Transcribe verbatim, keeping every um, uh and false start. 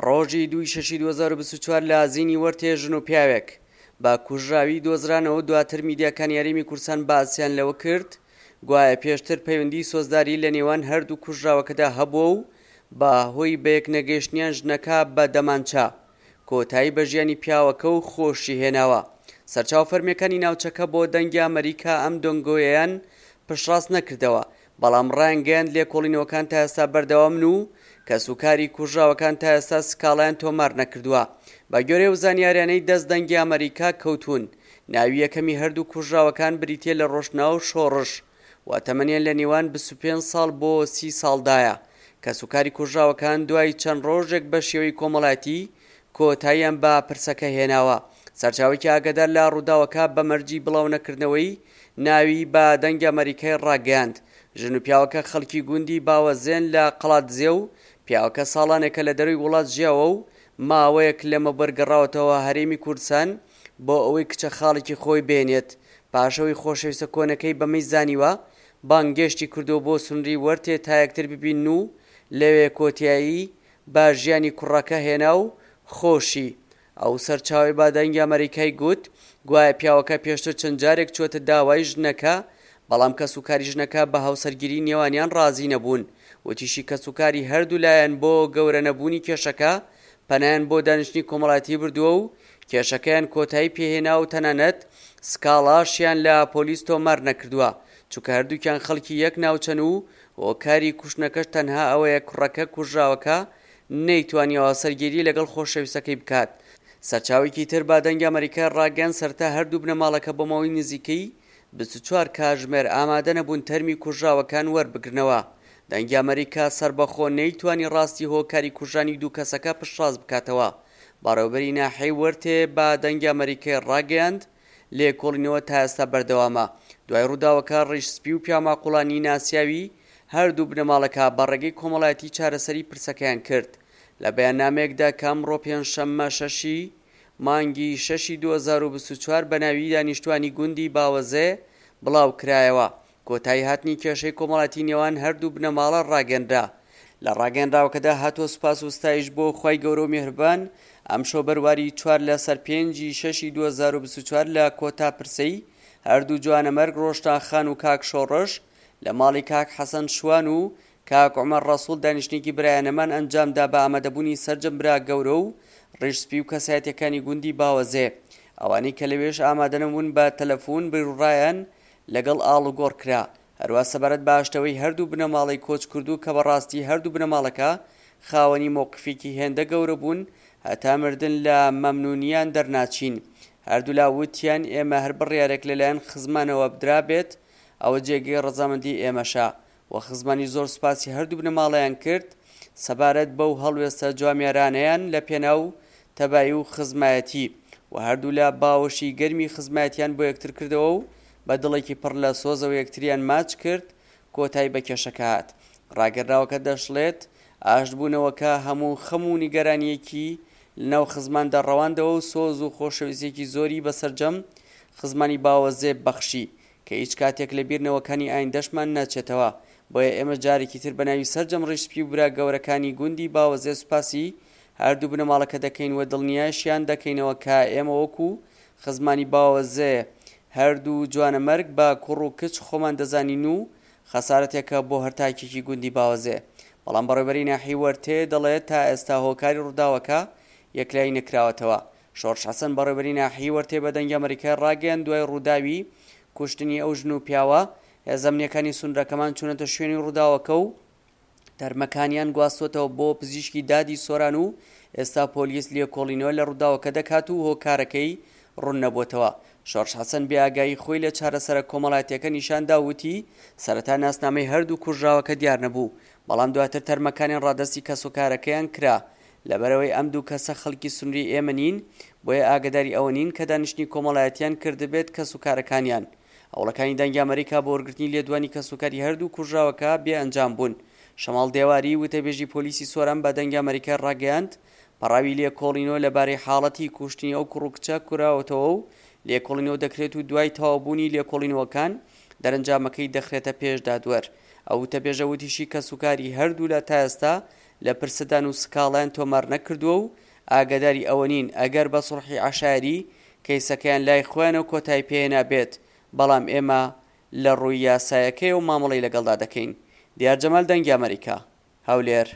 ڕۆژی دووی شەشی دوو هەزار و بیست و چوار لە زینی وەرتێ ژن و پیاوێک بە کوژراوی دۆزرانەوە. دواتر میدیاکانی هەرێمی کوردستان باسیان لەوە کرد گوایە پێشتر پەیوەندی سۆزداری لە نێوان هەردوو کوژراوەکەدا هەبووە و بە هۆی بەیەک نەگەیشتنیان ژنەکە بە دەمانچە کۆتایی بە ژیانی پیاوەکە و خۆشی هێناوە. سەرچاوە فەرمیەکانی ناوچەکە بۆ دەنگی ئەمریکا ئەم دەنگۆیەیان پشتڕاست نەکردەوە، بەڵام ڕایانگەیاند لێکۆڵینەوەکان تا ئێستا بەردەوامن و کەسوکاری کوژراوەکان تا ئێستا سکاڵایان تۆمار نەکردووە. بە گوێرەی ئەو زانیاریانەی دەست دەنگی ئەمریکا کەوتون، ناوی یەکەمی هەردوو کوژراوەکان بریتیە لە ڕۆشنا و شۆڕش و تەمەنیان لە نێوان بیست و پێنج ساڵ بۆ سی ساڵدایە. کەسوکاری کوژراوەکان دوای چەند ڕۆژێک بە شێوەی کۆمەڵایەتی کۆتاییان بە پرسەکە هێناوە. سەرچاوێکی ئاگادار لە ڕووداوەکە بە مەرجی بڵاو نەکردنەوەی ناوی بە دەنگی ئەمریکای ڕاگەیاند. ژن و پیاوەکە خەڵکی گوندی باوەزێن لە قەڵادزێ و پیاوەکە ساڵانێکە لە دەروی وڵات ژیاوە و ماوەیەک لەمەبەر گەڕاوەتەوە هەرێمی کوردستان بۆ ئەوەی کچە خاڵێکی خۆی بێنێت. پاشەوەی خۆشەویستە کۆنەکەی بەمەی زانیوە بانگێشتی کردو بۆ سنووری وەرتێ تا یەکتر ببین و لەوێ کۆتایی بە ژیانی کوڕەکە هێنا و خۆشی. ئەو سەرچاوەی بە دەنگی ئەمریکای گوت گوایە پیاوەکە پێشتر چەند جارێک چووەتە داوای ژنەکە، بەڵام کەسوکاری ژنەکە بە هاوسەرگیری نێوانیان ڕازی نەبوون. وتیشی کەسوکاری هەردوو لایەن بۆ گەورە نەبوونی کێشەکە پەنایان بۆ دانیشتنی کۆمەڵایەتی بردووە و کێشەکەیان کۆتایی پێهێنا و تەنانەت سکاڵاشیان لە پۆلیس تۆمار نەکردووە، چونکە هەردووکیان خەڵکی یەک ناوچەن و هۆکاری کوشتنەکەش تەنها ئەوەیە کوڕەکە کوژراوەکە نەیتوانیوە هاوسەرگیری لەگەڵ خۆشەویستەکەی بکات. سەرچاوێکی تر بە دەنگی ئەمریکا ڕاگەیاند سەرەتا هەردوو بنەماڵەکە بۆ ماوەی نزیکەی بیست و چوار کاتژمێر ئامادە نەبوون تەرمی کوژراوەکان وەربگرنەوە. دەنگی ئەمریکا سەربەخۆ نەیتوانی ڕاستی هۆکاری کوژرانی دوو کەسەکە پشتڕاست بکاتەوە. بەڕێوەبەری ناحیەی وەرتێ بە دەنگی ئەمریکای ڕاگەیاند لێکۆڵینەوە تا ئێستا بەردەوامە. دوای ڕووداوەکە ڕیش سپی و پیاماقوڵانی ناسیاوی هەردوو بنەماڵەکە بە ڕێگەی کۆمەڵایەتی چارەسەری پرسەکەیان کرد. لە بەیاننامەیەکدا کە ئەمڕۆ پێنجشەممە شەشی مانگی شەشی دوو هەزار و بیست و چوار بە ناوی دانیشتوانی گوندی باوەزێ بڵاو کرایەوە، کۆتایی هاتنی کێشەی کۆمەڵایەتی نێوان هەردوو بنەماڵە ڕاگەنرا. لە ڕاگەنراوەکەدا هاتووە سوپاس و ستایش بۆ خوای گەورە و میهرەبان ئەمشەو بەرواری چوار لەسەر پێنجی شەشی دوو هەزار و بیست و چوار لە کۆتا پرسەی هەردوو جوانەمەرگ ڕۆشنا خان و کاک شۆڕش لە ماڵی کاک حەسەن شوان و کاک عومەر ڕەسوڵ دانیشتنێکی برایانەمان ئەنجامدا بە ئامادەبوونی سەرجەم برا گەورە و ڕیش سپی و کەسایەتیەکانی گوندی باوەزێ. ئەوانەی کە لەوێش ئامادەنەبوون بە تەلەفۆن بیرڕایان لەگەڵ ئاڵوگۆڕ کرا. هەروە سەبارەت بە ئاشتەوەی هەردوو بنەماڵەی کۆچ کردو کە بەڕاستی هەردوو بنەماڵەکە خاوەنی مەوقفێکی هێندە گەورە بوون هەتا مردن لە مەمنونیان دەرناچین. هەردوولا وتیان ئێمە هەر بڕیارێک لەلایەن خزمانەوە بدرابێت ئەوە جێگەی ڕەزامەندی ئێمەشە. و خزمانی زۆر سوپاسی هەردوو بنەماڵەیان کرد سەبارەت بەو هەڵوێستە جوامیارانەیان لە پێناو تەبایی و خزمایەتی و هەردوولا باوەشی گەرمی خزمایەتیان بۆ یەکتر کردەوە و بە دڵێکی پڕ لە سۆزەوە یەکتریان ماچ کرد کۆتایی بە کێشەکە هات. ڕاگەنراوەکە دەشڵێت ئاشتبوونەوەکە هەموو خەم و نیگەرانیەکی لەناو خزماندا ڕەواندەوە و سۆز و خۆشەویستیەکی زۆری بەسەرجەم خزمانی باوەزێ بەخشی کە هیچ کاتێک لە بیرنەوەکانی ئایندەشمان ناچێتەوە. بۆیە ئێمە جارێکی تر بە ناوی سەرجەم ڕیشسپی و برا گەورەکانی گوندی باوەزێ سوپاسی هەردوو بنەماڵەکە دەکەین و دڵنیاشیان دەکەینەوە کە ئێمە وەکو خزمانی باوەزێ هەردوو جوانەمەرگ بە کوڕ و کچ خۆمان دەزانین و خەسارەتێکە بۆ هەر تاکێکی گوندی باوەزێ. بەڵام بەڕێوەبەری ناحیەی وەرتێ دەڵێت تا ئێستا هۆکاری ڕووداوەکە یەکلایی نەکراوەتەوە. شۆڕش حەسەن بەڕێوەبەری ناحیەی وەرتێ بە دەنگی ئەمریکای ڕاگەیاند دوای ڕووداوی کوشتنی ئەو ژن و پیاوە هێزە ئەمنیەکانی سنوورەکەمان چوونەتە شوێنی ڕووداوەکە و تەرمەکانیان گواستوەتەوە بۆ پزیشکی دادی سۆران و ئێستا پۆلیس لێکۆڵینەوە لە ڕووداوەکە دەکات و هۆکارەکەی ڕوون نەبووتەوە. شۆڕش حەسەن بێئاگایی خۆی لە چارەسەرە کۆمەڵایەتیەکە نیشاندا وتی سەرەتا ناسنامەی هەردوو کوژراوەکە دیار نەبوو، بەڵام دواتر تەرمەکانیان ڕادەستی کەسوکارەکەیان کرا. لەبەرەوەی ئەم دوو کەسە خەڵکی سنووری ئێمە نین، بۆیە ئاگداری ئەوە نین کە دانیشتنی کۆمەڵایەتیان کردبێت کەسوکارەکانیان. هەوڵەکانی دەنگی ئەمریکا بۆ وەرگرتنی لێدوانی کەسوکاری هەردوو کوژراوەکە بێ ئەنجام بوون. شەماڵ دێواری وتەبێژی پۆلیسی سۆران بە دەنگی ئەمریکا ڕاگەیاند پەڕاوی لێکۆڵینەوە لەبارەی حاڵەتی کوشتنی ئەو کوڕ و کچە کراوەتەوە و لێکۆڵینەوە دەکرێت و دوای تەواوبوونی لێکۆڵینەوەکان دەرەنجامەکەی دەخرێتە پێش دادوەر. ئەو وتەبێژە وتیشی کەسوکاری هەردوو لە تا ئێستا لە پرسەدان و سکاڵایان تۆمار نەکردووە و ئاگاداری ئەوە نین ئەگەر بە سوڵحی عەشایەری کەیسەکەیان لای خۆیانەوە کۆتایی پێهێنابێت، بەڵام ئێمە لە ڕووی یاسایەکەیەوە مامەڵەی لەگەڵدا دەکەین. دیار جەمال، دەنگی ئەمەریکا، هەولێر.